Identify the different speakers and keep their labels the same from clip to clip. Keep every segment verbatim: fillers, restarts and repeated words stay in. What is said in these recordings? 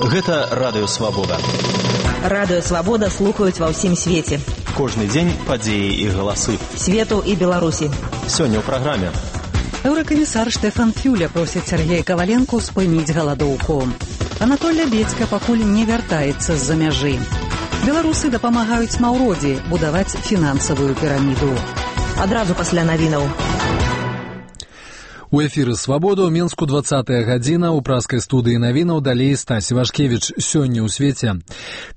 Speaker 1: Гэта Радыё Свабода.
Speaker 2: Радыё Свабода слухаюць ва ўсім свеце.
Speaker 1: Кожны дзень падзеі і галасы.
Speaker 2: Свету і Беларусі.
Speaker 1: Сёння ў праграме.
Speaker 3: Еўракамісар Штефан Фюле просіць Сергея Каваленку спыніць галадоўку. Анатоль Лябедзька пакуль не вяртаецца з-за мяжы. Беларусы дапамагаюць Маўродзі будаваць фінансавую піраміду.
Speaker 2: Адразу пасля навінаў.
Speaker 4: У эфіры «Свабода» ў Менску двадцатая гадзіна, у праскай студыі навінаў далей Стась Івашкевіч. Сёння ў свеце.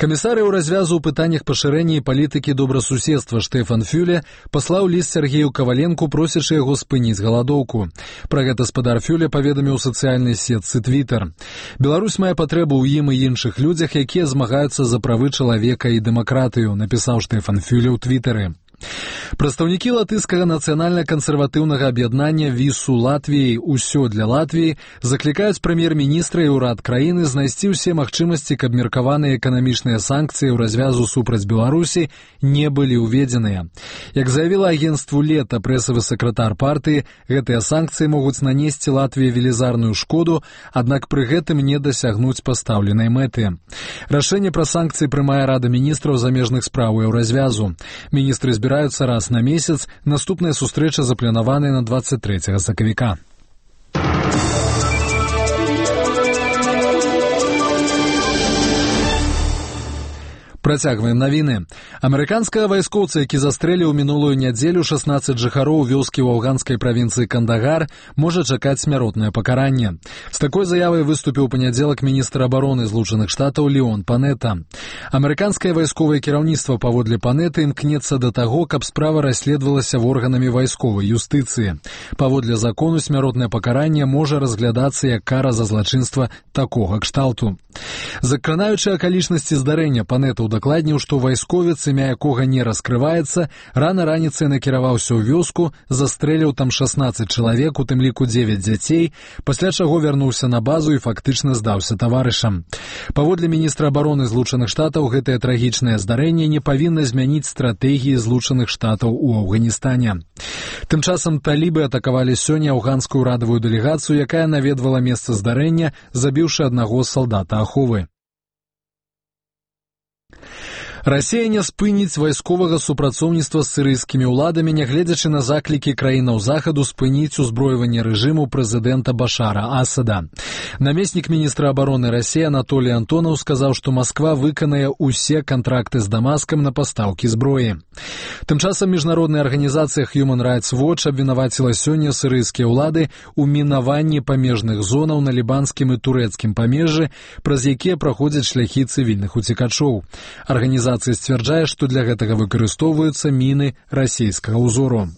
Speaker 4: Камісар еўразвязу ў пытаннях пашырэння і палітыкі добрасуседства Штефан Фюле паслаў ліст Сергею Каваленку, просячы яго спыніць галадоўку. Пра гэта спадар Фюле паведаміў у сацыяльнай сетцы Твиттер. Беларусь мае патрэбу ў ім і іншых людзях, якія змагаюцца за правы чалавека і дэмакратыю, напісаў Штефан Фюле ў Твиттеры. Прадстаўнікі латышскага нацыянальна-кансерватыўнага аб'яднання ВІСУ Латвіі «Усё для Латвіі» заклікаюць прэм'ер-міністра і ўрад краіны знайсці ўсе магчымасці, каб меркаваныя эканамічныя санкцыі ў развязу супраць Беларусі не былі ўведзеныя. Як заявіла агенцтву «Лета» прэсавы сакратар партыі, гэтыя санкцыі могуць нанесці Латвіі велізарную шкоду, аднак пры гэтым не дасягнуць пастаўленай мэты. Рашэнне пра санкцыі прымае Рада міністраў замежных спраў еўразвязу. Міністры збіраюцца раз на месяц, наступная сустрэча запланаваная на двадцать трэцяга сакавіка. Працягваем навіны. Амерыканскага вайскоўца, які застрэліў мінулую нядзелю шаснаццаць жыхароў вёскі ў афганскай правінцыі Кандагар, можа чакаць смяротнае пакаранне. З такой заявай выступіў у панядзелак міністр абароны Злучаных Штатаў Леон Панета. Амерыканскае вайсковае кіраўніцтва паводле Панеты імкнецца да таго, каб справа расследавалася органамі вайсковай юстыцыі. Паводле закону смяротнае пакаранне можа разглядацца як кара за злачынства такога кшталту. Закранаючы акалічнасці здарэння, Панета удакладніў, што вайсковец, імя якога не раскрываецца, рана раніцай накіраваўся ў вёску, застрэліў там шаснаццаць чалавек, у тым ліку дзевяць дзяцей, пасля чаго вярнуўся на базу і фактычна здаўся таварышам. Паводле міністра абароны Злучаных Штатаў, гэтае трагічнае здарэнне не павінна змяніць стратэгіі Злучаных Штатаў у Афганістане. Тым часам талібы атакавалі сёння афганскую ўрадавую дэлегацыю, якая наведвала месца здарэння, забіўшы аднаго салдата аховы. Расія не спыніць вайсковага супрацоўніцтва з сірыйскімі ўладамі, нягледзячы на заклікі краінаў захаду спыніць узброіванне рэжыму прэзідэнта Башара Асада. Намеснік міністра абароны Расіі Анатолій Антонаў сказаў, што Масква выканае ўсе кантракты з Дамаскам на пастаўкі зброі. Тым часам міжнародная арганізацыя Human Rights Watch абвінаваціла сёння сірыйскія ўлады ў мінаванні памежных зонаў на лібанскім і турэцкім памежжы, праз якія праходзяць шляхі цывільных уцекачоў. Арганізацыя сцвярджае, што для гэтага выкарыстоўваюцца міны расійскага ўзору.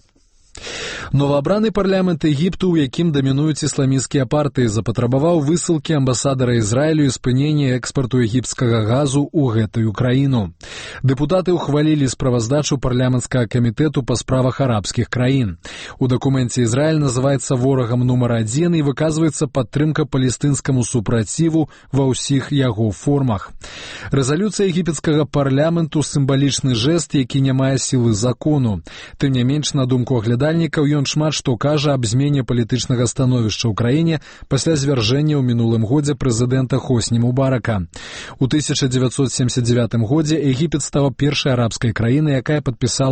Speaker 4: Новаабраны парламент Егіпту, у якім дамінуюць ісламісцкія партыі, запатрабаваў высылкі амбасадара Ізраілю і спынення экспарту егіпцкага газу ў гэтую краіну. Дэпутаты ўхвалілі справаздачу парламенцкага камітэту па справах арабскіх краін. У дакуменце Ізраіль называецца ворагам нумар адзін і выказваецца падтрымка палестынскаму супраціву ва ўсіх яго формах. Рэзалюцыя егіпецкага парламенту — сімвалічны жэст, які не мае сілы закону. Тым не менш, на думку аглядальнікаў, ён шмат што кажа аб змене палітычнага становішча ў краіне пасля звяржэння ў мінулым годзе прэзідэнта Хосні Мубарака. У тысяча дзевяцьсот семьдесят девятым годзе Егіпет стаў першай арабскай краінай, якая падпісала